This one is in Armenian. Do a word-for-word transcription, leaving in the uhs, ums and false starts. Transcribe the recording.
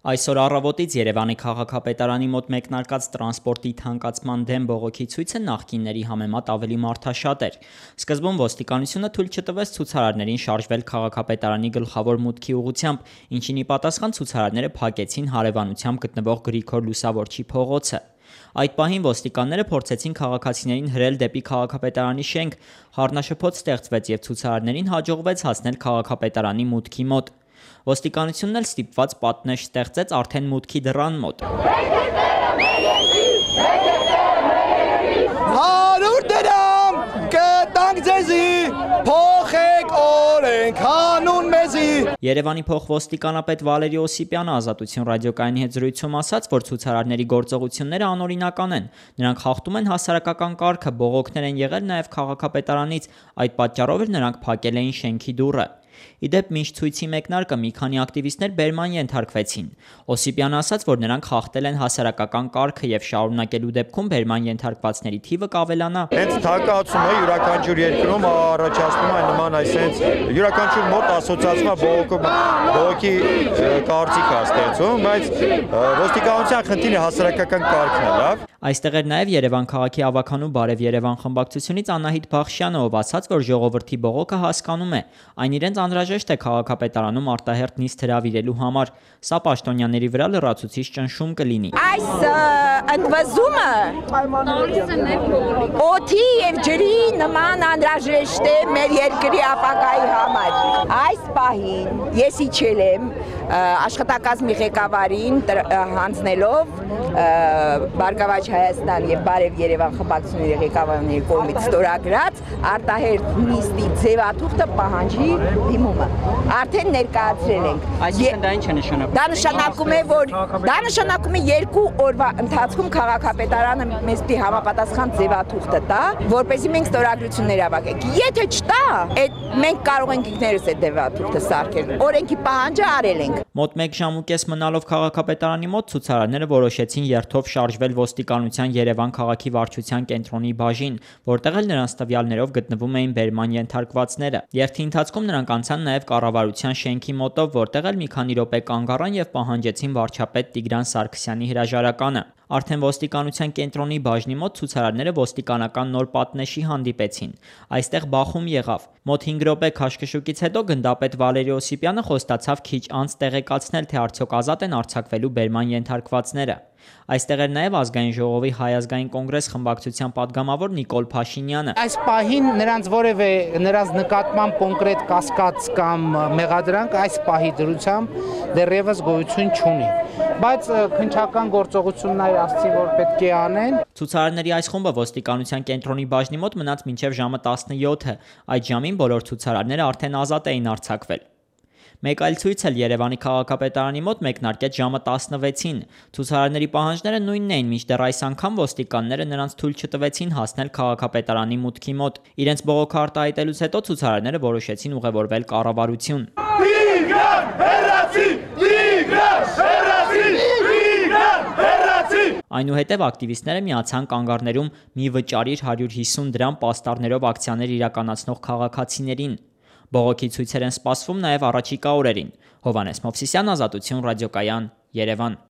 Այսօր առավոտից Երևանի քաղաքապետարանի մոտ մեկնարկած տրանսպորտի թանկացման դեմ բողոքի ցույցը նախկինների համեմատ ավելի մարդաշատ էր։ Սկզբում ոստիկանությունը թույլ չտվեց ցուցարարներին շարժվել քաղաքապետարանի գլխավոր մուտքի ուղղությամբ, ինչին ի պատասխան ցուցարարները փակեցին հարևանությամբ գտնվող Գրիգոր Լուսավորչի փողոցը։ Այդ պահին ոստիկանները փորձեցին քաղաքացիներին հրել դեպի քաղաքապետարանի շենք, խառնաշփոթ ստեղծվեց և ցուցարարներին հաջողվեց հասնել քաղաքապետարանի մուտքի մոտ։ Ոստիկանությունն էլ ստիպված պատնեշ ստեղծեց արդեն մուտքի դռան մոտ։ հարյուր դրամ կտանք ձեզի, փոխեք օրենք հանուն մեզի։ Երևանի փոխոստիկանապետ Վալերի Օսիպյանը Ազատություն ռադիոկայանի հետ զրույցում ասաց, որ ցուցարարների գործողությունները անօրինական են։ Նրանք խախտում են հասարակական կարգը, բողոքներ են եղել նաև քաղաքապետարանից, այդ պատճառով էլ նրանք փակել էին շենքի դուռը։ Ի դեպ, մինչ ցույցի մեկնարկը մի քանի ակտիվիստներ բերման ենթարկվեցին։ Օսիպյանը ասաց, որ նրանք խախտել են հասարակական կարգը եւ շարունակելու դեպքում բերման ենթարկվածների թիվը կավելանա։ Հենց թակացումը յուրաքանչյուր երկրում առաջացնում է նման այսենց յուրաքանչյուր մոտ ասոցիացիա բողոքի կարծիք է ստեղծում, բայց ոստիկանության խնդիրը հասարակական կարգն է, լավ։ Այստեղ էր նաև Երևան քաղաքի ավականու Բարև Երևան խմբակցությունից Անահիտ Բախշյանը, ով ասաց, որ ժողովրդի բողոքը հասկանում է, այն իրենց անհրաժեշտ է քաղաքապետարանում արտահերթ նիստ հրավիրելու համար։ Սա պաշտոնյաների վրա լրացուցիչ ճնշում կլինի։ Այս ընդվզումը օդի եւ ջրի նման անհրաժեշտ է մեր երկրի ապագայի համար։ Այս պահին ես իջել եմ աշխատակազմի ղեկավարին հանձնելով Բարգավաճ Հայաստան եւ Բարև Երևան խմբակցությունների ղեկավարների կողմից ստորագրած արտահերթ նիստի ձևաթուղթը պահանջի դիմումը։ Արդեն ներկայացրել ենք։ Այսինքն դա ինչ է նշանակում։ Դա նշանակում է, որ դա նշանակում է երկու օրվա ընթացքում քաղաքապետարանը մեզ պիտի համապատասխան ձևաթուղթը տա, որպեսզի մենք ստորագրություններ ավակենք։ Եթե չտա, այդ մենք կարող ենք ինքներս այդ ձևաթուղթը սարքել։ Օրենքի պահանջը արել ենք։ Մոտ մեկ ժամ ու կես մնալով քաղաքապետարանի մոտ ցուցարարները որոշեցին երթով շարժվել ոստիկանության Երևան քաղաքի վարչության կենտրոնի բաժին, որտեղ էլ նրանց տվյալներով գտնվում էին բերման ենթարկվածները։ Երթի ընթացքում նրանք անցան նաև կառավարության շենքի մոտով, որտեղ էլ մի քանի րոպե կանգ առան եւ պահանջեցին վարչապետ Տիգրան Սարգսյանի հրաժարականը։ Արդեն ոստիկանության կենտրոնի բաժնի մոտ ցուցարարները ոստիկանական նոր պատնեշի հանդիպեցին։ Այստեղ բախում եղավ։ Մոտ հինգ րոպե քաշքշուկից հետո գնդապետ Վալերի Օսիպյանը խոստացավ քիչ անց տեղեկացնել, թե արդյոք ազատ են արձակվելու բերման ենթարկվածները։ Այստեղ էր նաև Ազգային ժողովի Հայ ազգային կոնգրես խմբակցության падգամավոր Նիկոլ Փաշինյանը։ Այս պահին նրանց որևէ նրանց նկատմամբ կոնկրետ կասկած կամ մեղադրանք այս պահի դրությամբ դեռևս գոյություն չունի, բայց քննչական գործողություններ ասացի, որ պետք է անեն։ Ցուցարարների այս խումբը ոստիկանության կենտրոնի բաժնի մոտ մնաց մինչև ժամը տասնյոթը։ Այդ ժամին բոլոր ցուցարարները արդեն ազատ էին արձակվել։ Մեկ այլ ցույց էլ Երևանի քաղաքապետարանի մոտ մեկնարկեց ժամը տասնվեցին։ Ցուցարարների պահանջները նույնն էին, մինչդեռ այս անգամ ոստիկանները նրանց թույլ չտվեցին հասնել քաղաքապետարանի մուտքի մոտ։ Իրենց բողոքը արտահայտելուց հետո ցուցարարները որոշեցին ուղևորվել կառավարություն։ Տիգրան հեռացի, Տիգրան հեռացի, Տիգրան հեռացի։ Այնուհետև ակտիվիստները միացան կանգառներում մի վճարիր հարյուր հիսուն դրամ պաստառներով ակցիաներ իրականացնող քաղաքացիներին։ Բողոքի ցույցեր են սպասվում նաև առաջիկա օրերին։ Հովհաննես Մովսիսյան, Ազատություն ռադիոկայան, Երևան։